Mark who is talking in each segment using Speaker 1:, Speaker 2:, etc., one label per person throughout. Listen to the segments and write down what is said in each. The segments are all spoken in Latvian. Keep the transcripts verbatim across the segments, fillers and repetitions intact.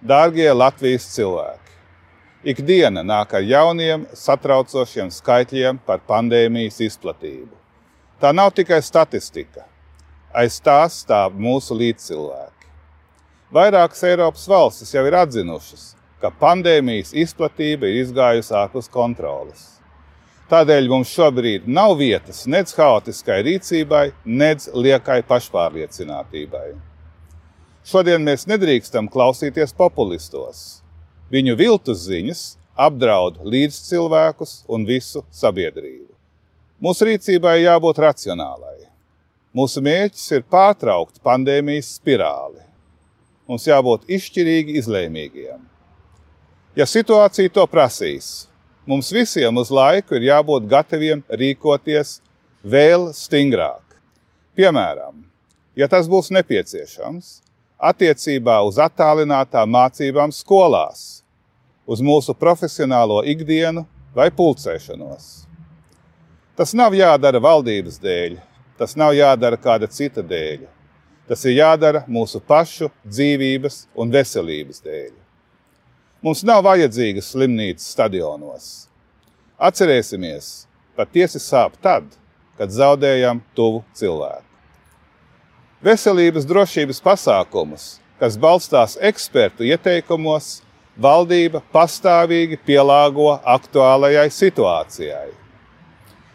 Speaker 1: Dārgie Latvijas cilvēki, ikdiena nāk ar jauniem, satraucošiem skaitļiem par pandēmijas izplatību. Tā nav tikai statistika. Aiz tās stāv mūsu līdzcilvēki. Vairākas Eiropas valstis jau ir atzinušas, ka pandēmijas izplatība ir izgājusi ārpus kontroles. Tādēļ mums šobrīd nav vietas nedz haotiskai rīcībai, nedz liekai pašpārliecinātībai. Šodien mēs nedrīkstam klausīties populistos. Viņu viltus ziņas apdraud līdzcilvēkus un visu sabiedrību. Mūsu rīcībai jābūt racionālai. Mūsu mērķis ir pārtraukt pandēmijas spirāli. Mums jābūt izšķirīgi izlēmīgiem. Ja situācija to prasīs, mums visiem uz laiku ir jābūt gataviem rīkoties vēl stingrāk. Piemēram, ja tas būs nepieciešams, attiecībā uz attālinātām mācībām skolās, uz mūsu profesionālo ikdienu vai pulcēšanos. Tas nav jādara valdības dēļ, tas nav jādara kāda cita dēļ. Tas ir jādara mūsu pašu dzīvības un veselības dēļ. Mums nav vajadzīgas slimnīcas stadionos. Atcerēsimies, patiesi sāp tad, kad zaudējam tuvu cilvēku. Veselības drošības pasākumus, kas balstās ekspertu ieteikumos, valdība pastāvīgi pielāgo aktuālajai situācijai.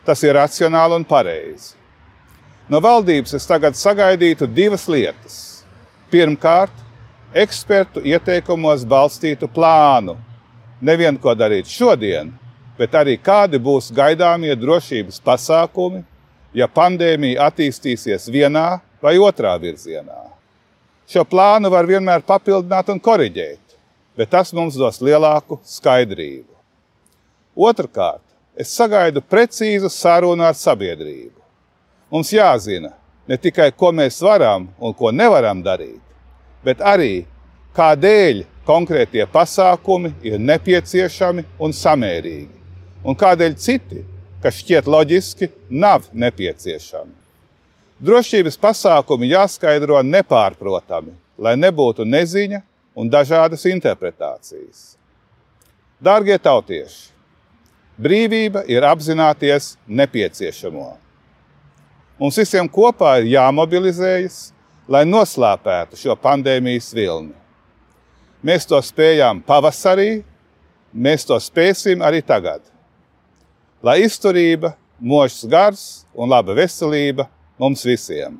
Speaker 1: Tas ir racionāli un pareizi. No valdības es tagad sagaidītu divas lietas. Pirmkārt, ekspertu ieteikumos balstītu plānu. Nevien ko darīt šodien, bet arī kādi būs gaidāmie drošības pasākumi, ja pandēmija attīstīsies vienā vai otrā virzienā. Šo plānu var vienmēr papildināt un koriģēt, bet tas mums dos lielāku skaidrību. Otrkārt, es sagaidu precīzu sarunu ar sabiedrību. Mums jāzina ne tikai, ko mēs varam un ko nevaram darīt, bet arī, kādēļ konkrētie pasākumi ir nepieciešami un samērīgi, un kādēļ citi, kas šķiet loģiski, nav nepieciešami. Drošības pasākumi jāskaidro nepārprotami, lai nebūtu neziņa un dažādas interpretācijas. Dārgie tautieši, brīvība ir apzināties nepieciešamo. Mums visiem kopā ir jāmobilizējas, lai noslāpētu šo pandēmijas vilni. Mēs to spējām pavasarī, mēs to spēsim arī tagad. Lai izturība, mūžs gars un laba veselība mums visiem.